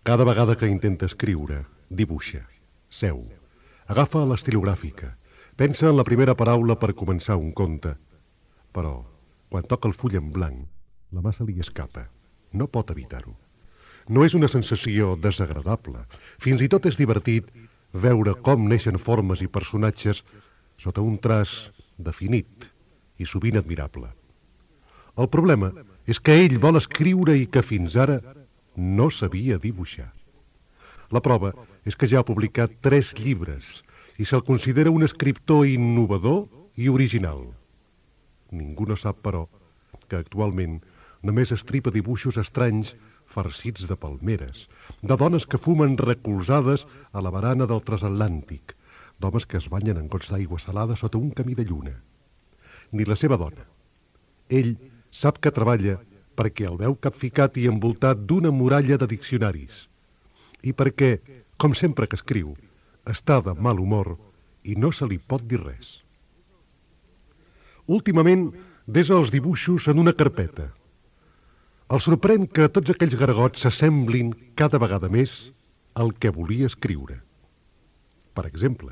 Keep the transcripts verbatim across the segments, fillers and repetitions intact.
Cada vegada que intenta escriure, dibuixa, seu, agafa l'estilogràfica, pensa en la primera paraula per començar un conte. Però, quan toca el full en blanc, la mà se li escapa. No pot evitar-ho. No és una sensació desagradable. Fins i tot és divertit veure com neixen formes i personatges sota un traç definit i sovint admirable. El problema és que ell vol escriure i que fins ara no sabia dibuixar. La prova és que ja ha publicat tres llibres i se'l considera un escriptor innovador i original. Ningú no sap, però, que actualment només estripa dibuixos estranys farcits de palmeres, de dones que fumen recolzades a la barana del transatlàntic, d'homes que es banyen en gots d'aigua salada sota un camí de lluna. Ni la seva dona. Ell sap que treballa perquè el veu capficat i envoltat d'una muralla de diccionaris i perquè, com sempre que escriu, està de mal humor i no se li pot dir res. Últimament desa els dibuixos en una carpeta. El sorprèn que tots aquells gargots s'assemblin cada vegada més al que volia escriure. Per exemple,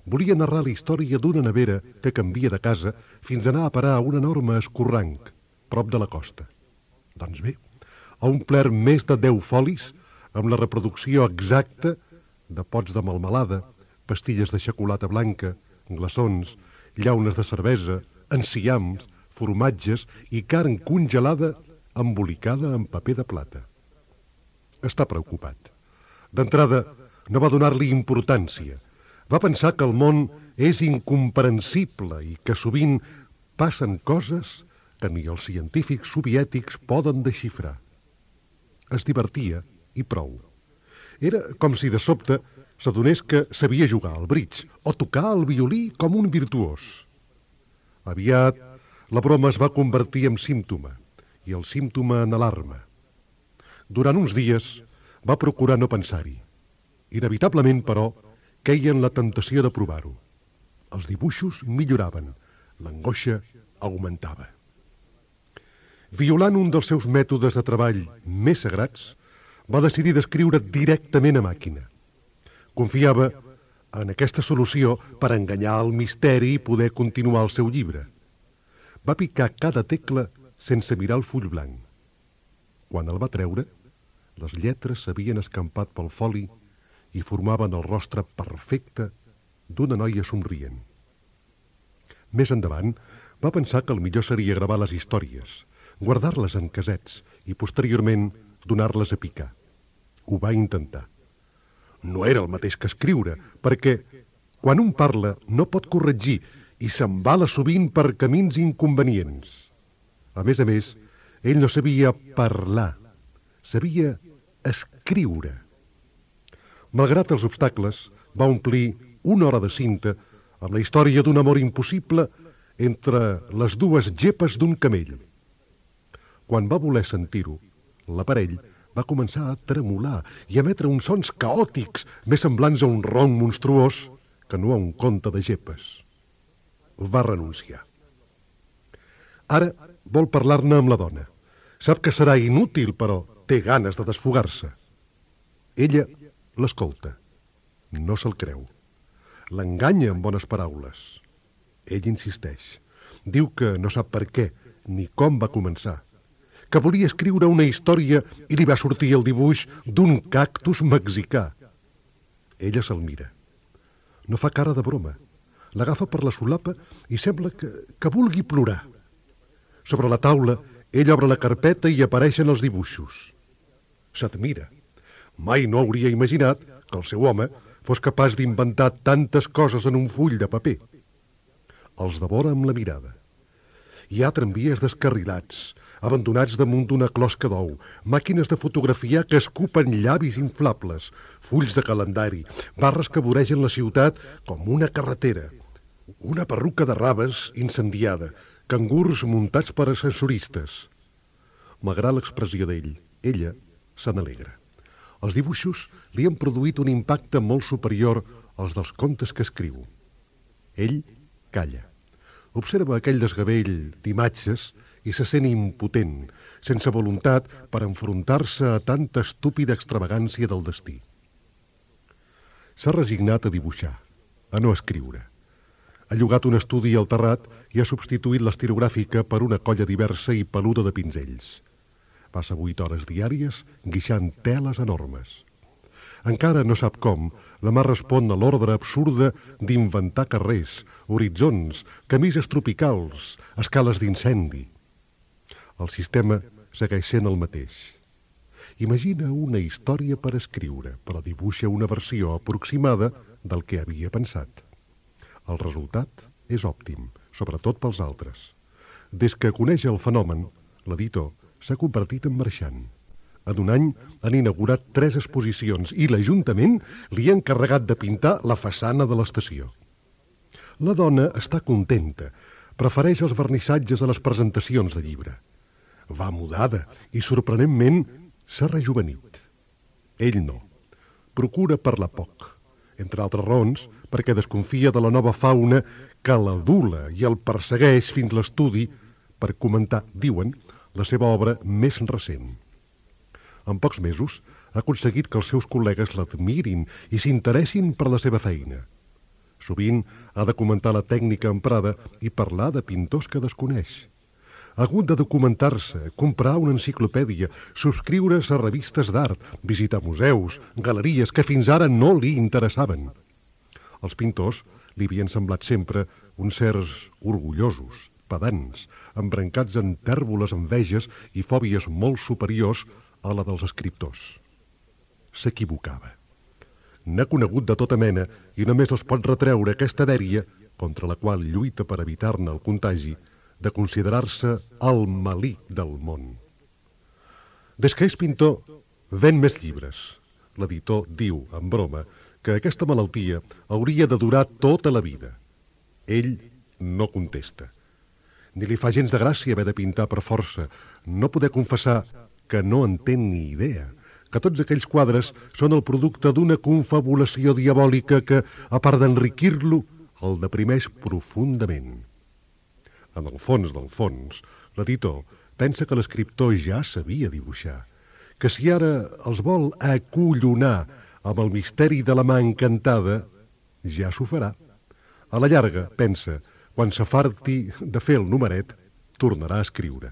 volia narrar la història d'una nevera que canvia de casa fins a anar a parar a un enorme escorranc prop de la costa. Doncs bé, ha omplert més de deu folis amb la reproducció exacta de pots de melmelada, pastilles de xocolata blanca, glaçons, llaunes de cervesa, enciams, formatges i carn congelada embolicada en paper de plata. Està preocupat. D'entrada, no va donar-li importància. Va pensar que el món és incomprensible i que sovint passen coses que ni els científics soviètics poden desxifrar. Es divertia i prou. Era com si de sobte s'adonés que sabia jugar al bridge o tocar el violí com un virtuós. Aviat, la broma es va convertir en símptoma i el símptoma en alarma. Durant uns dies va procurar no pensar-hi. Inevitablement, però, queia en la tentació de provar-ho. Els dibuixos milloraven, l'angoixa augmentava. Violant un dels seus mètodes de treball més sagrats, va decidir d'escriure directament a màquina. Confiava en aquesta solució per enganyar el misteri i poder continuar el seu llibre. Va picar cada tecla sense mirar el full blanc. Quan el va treure, les lletres s'havien escampat pel foli i formaven el rostre perfecte d'una noia somrient. Més endavant, va pensar que el millor seria gravar les històries, guardar-les en casets i, posteriorment, donar-les a picar. Ho va intentar. No era el mateix que escriure, perquè quan un parla no pot corregir i s'embala sovint per camins inconvenients. A més a més, ell no sabia parlar, sabia escriure. Malgrat els obstacles, va omplir una hora de cinta amb la història d'un amor impossible entre les dues gepes d'un camell. Quan va voler sentir-ho, l'aparell va començar a tremolar i a emetre uns sons caòtics més semblants a un ronc monstruós que no a un conte de gepes. Va renunciar. Ara vol parlar-ne amb la dona. Sap que serà inútil, però té ganes de desfogar-se. Ella l'escolta. No se'l creu. L'enganya amb bones paraules. Ell insisteix. Diu que no sap per què ni com va començar, que volia escriure una història i li va sortir el dibuix d'un cactus mexicà. Ella se'l mira. No fa cara de broma. L'agafa per la solapa i sembla que, que vulgui plorar. Sobre la taula, ell obre la carpeta i apareixen els dibuixos. S'admira. Mai no hauria imaginat que el seu home fos capaç d'inventar tantes coses en un full de paper. Els devora amb la mirada. Hi ha tramvies descarrilats, abandonats damunt d'una closca d'ou, màquines de fotografiar que escupen llavis inflables, fulls de calendari, barres que voregen la ciutat com una carretera, una perruca de raves incendiada, cangurs muntats per ascensoristes. Malgrat l'expressió d'ell, ella se n'alegra. Els dibuixos li han produït un impacte molt superior als dels contes que escriu. Ell calla. Observa aquell desgavell d'imatges i se sent impotent, sense voluntat per enfrontar-se a tanta estúpida extravagància del destí. S'ha resignat a dibuixar, a no escriure. Ha llogat un estudi al terrat i ha substituït l'estilogràfica per una colla diversa i peluda de pinzells. Passa vuit hores diàries guixant teles enormes. Encara no sap com, la mà respon a l'ordre absurda d'inventar carrers, horitzons, camises tropicals, escales d'incendi. El sistema segueix sent el mateix. Imagina una història per escriure, però dibuixa una versió aproximada del que havia pensat. El resultat és òptim, sobretot pels altres. Des que coneix el fenomen, l'editor s'ha convertit en marxant. En un any han inaugurat tres exposicions i l'Ajuntament li ha encarregat de pintar la façana de l'estació. La dona està contenta, prefereix els vernissatges a les presentacions de llibre. Va mudada i, sorprenentment, s'ha rejuvenit. Ell no. Procura parlar poc, entre altres raons perquè desconfia de la nova fauna que l'adula i el persegueix fins l'estudi per comentar, diuen, la seva obra més recent. En pocs mesos ha aconseguit que els seus col·legues l'admirin i s'interessin per la seva feina. Sovint ha de comentar la tècnica emprada i parlar de pintors que desconeix. Ha hagut de documentar-se, comprar una enciclopèdia, subscriure's a revistes d'art, visitar museus, galeries que fins ara no li interessaven. Els pintors li havien semblat sempre uns certs orgullosos, pedants, embrancats en tèrboles enveges i fòbies molt superiors a la dels escriptors. S'equivocava. N'ha conegut de tota mena i només els pot retreure aquesta dèria, contra la qual lluita per evitar-ne el contagi, de considerar-se el malic del món. Des que és pintor, ven més llibres. L'editor diu, en broma, que aquesta malaltia hauria de durar tota la vida. Ell no contesta. Ni li fa gens de gràcia haver de pintar per força, no poder confessar que no en té ni idea, que tots aquells quadres són el producte d'una confabulació diabòlica que, a part d'enriquir-lo, el deprimeix profundament. En el fons del fons, l'editor pensa que l'escriptor ja sabia dibuixar, que si ara els vol acollonar amb el misteri de la mà encantada, ja s'ho farà. A la llarga, pensa, quan s'afarti de fer el numeret, tornarà a escriure.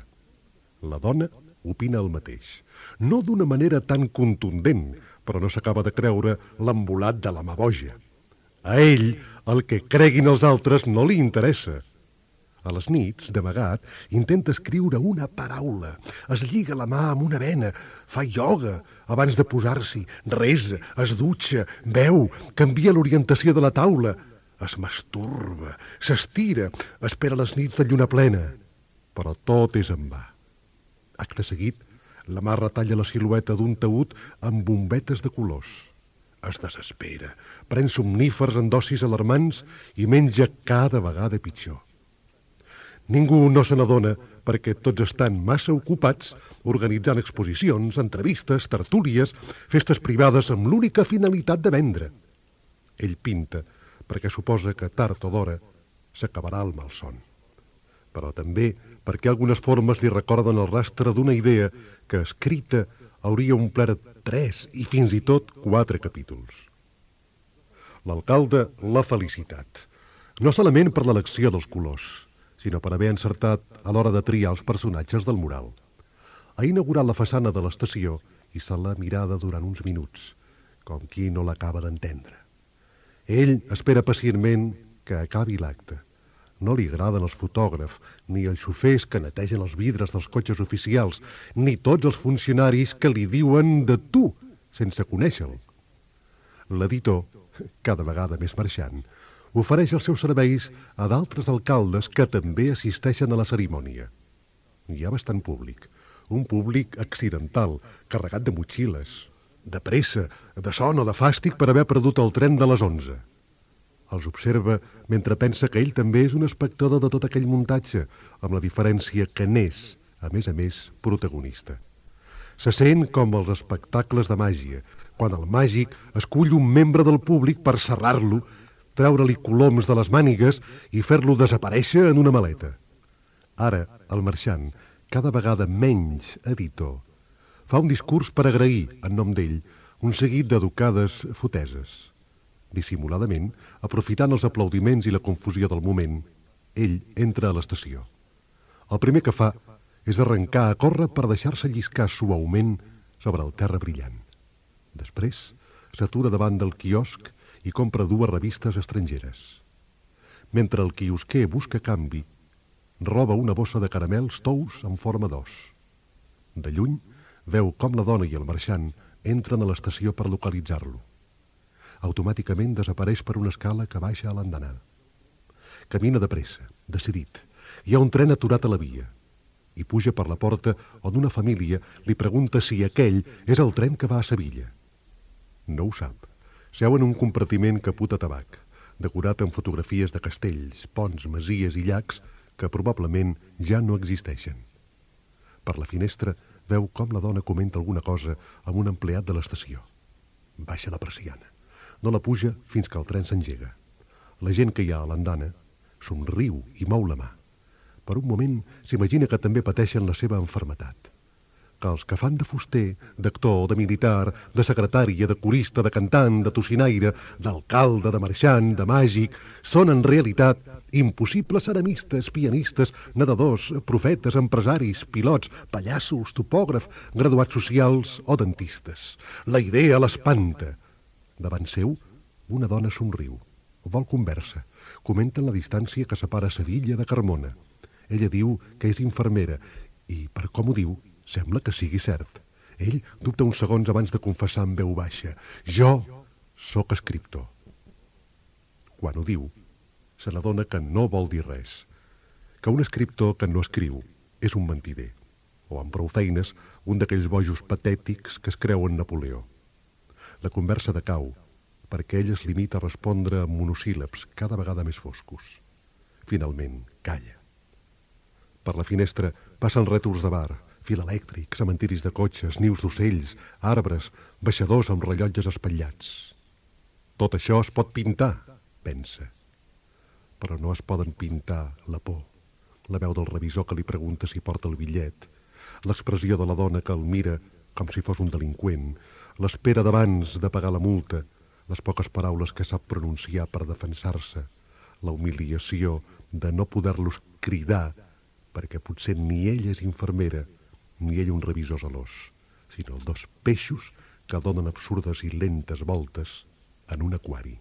La dona opina el mateix. No d'una manera tan contundent, però no s'acaba de creure l'embolat de la mà boja. A ell, el que creguin els altres no li interessa. A les nits, d'amagat, intenta escriure una paraula. Es lliga la mà amb una vena, fa ioga abans de posar-s'hi, resa, es dutxa, beu, canvia l'orientació de la taula, es masturba, s'estira, espera les nits de lluna plena. Però tot és en va. Acte seguit, la mà retalla la silueta d'un taüt amb bombetes de colors. Es desespera, pren somnífers en dosis alarmants i menja cada vegada pitjor. Ningú no se n'adona perquè tots estan massa ocupats organitzant exposicions, entrevistes, tertúlies, festes privades amb l'única finalitat de vendre. Ell pinta perquè suposa que tard o d'hora s'acabarà el malson. Però també perquè algunes formes li recorden el rastre d'una idea que, escrita, hauria omplert tres i fins i tot quatre capítols. L'alcalde l'ha felicitat, no solament per l'elecció dels colors, sinó per haver encertat a l'hora de triar els personatges del mural. Ha inaugurat la façana de l'estació i se l'ha mirada durant uns minuts, com qui no l'acaba d'entendre. Ell espera pacientment que acabi l'acte. No li agraden els fotògrafs, ni els xofers que netegen els vidres dels cotxes oficials, ni tots els funcionaris que li diuen de tu, sense conèixer-lo. L'editor, cada vegada més marxant, ofereix els seus serveis a d'altres alcaldes que també assisteixen a la cerimònia. Hi ha bastant públic, un públic accidental, carregat de motxilles, de pressa, de son o de fàstic per haver perdut el tren de les onze. Els observa mentre pensa que ell també és un espectador de tot aquell muntatge, amb la diferència que n'és, a més a més, protagonista. Se sent com els espectacles de màgia, quan el màgic escull un membre del públic per serrar-lo, treure-li coloms de les mànigues i fer-lo desaparèixer en una maleta. Ara, el marxant, cada vegada menys editor, fa un discurs per agrair, en nom d'ell, un seguit d'educades foteses. Dissimuladament, aprofitant els aplaudiments i la confusió del moment, ell entra a l'estació. El primer que fa és arrencar a córrer per deixar-se lliscar suaument sobre el terra brillant. Després, s'atura davant del quiosc i compra dues revistes estrangeres. Mentre el quiosquer busca canvi, roba una bossa de caramels tous en forma d'os. De lluny, veu com la dona i el marxant entren a l'estació per localitzar-lo. Automàticament desapareix per una escala que baixa a l'andanada. Camina de pressa, decidit. Hi ha un tren aturat a la via. I puja per la porta on una família li pregunta si aquell és el tren que va a Sevilla. No ho sap. Seu en un compartiment caput a tabac, decorat amb fotografies de castells, ponts, masies i llacs que probablement ja no existeixen. Per la finestra veu com la dona comenta alguna cosa amb un empleat de l'estació. Baixa la persiana. No la puja fins que el tren s'engega. La gent que hi ha a l'andana somriu i mou la mà. Per un moment s'imagina que també pateixen la seva enfermetat. Que els que fan de fuster, d'actor, de militar, de secretària, de corista, de cantant, de tocinaire, d'alcalde, de marxant, de màgic, són en realitat impossibles ceramistes, pianistes, nedadors, profetes, empresaris, pilots, pallassos, topògrafs, graduats socials o dentistes. La idea l'espanta. Davant seu, una dona somriu. Vol conversa. Comenten la distància que separa Sevilla de Carmona. Ella diu que és infermera i, per com ho diu, sembla que sigui cert. Ell dubta uns segons abans de confessar en veu baixa. Jo sóc escriptor. Quan ho diu, se n'adona que no vol dir res. Que un escriptor que no escriu és un mentider. O, amb prou feines, un d'aquells bojos patètics que es creuen Napoleó. La conversa decau, perquè ell es limita a respondre amb monosíl·labs cada vegada més foscos. Finalment, calla. Per la finestra passen rètols de bar, fil elèctric, cementiris de cotxes, nius d'ocells, arbres, baixadors amb rellotges espatllats. Tot això es pot pintar, pensa. Però no es poden pintar la por, la veu del revisor que li pregunta si porta el bitllet, l'expressió de la dona que el mira com si fos un delinqüent, l'espera d'abans de pagar la multa, les poques paraules que sap pronunciar per defensar-se, la humiliació de no poder-los cridar perquè potser ni ell és infermera ni ell un revisor zelós, sinó dos peixos que donen absurdes i lentes voltes en un aquari.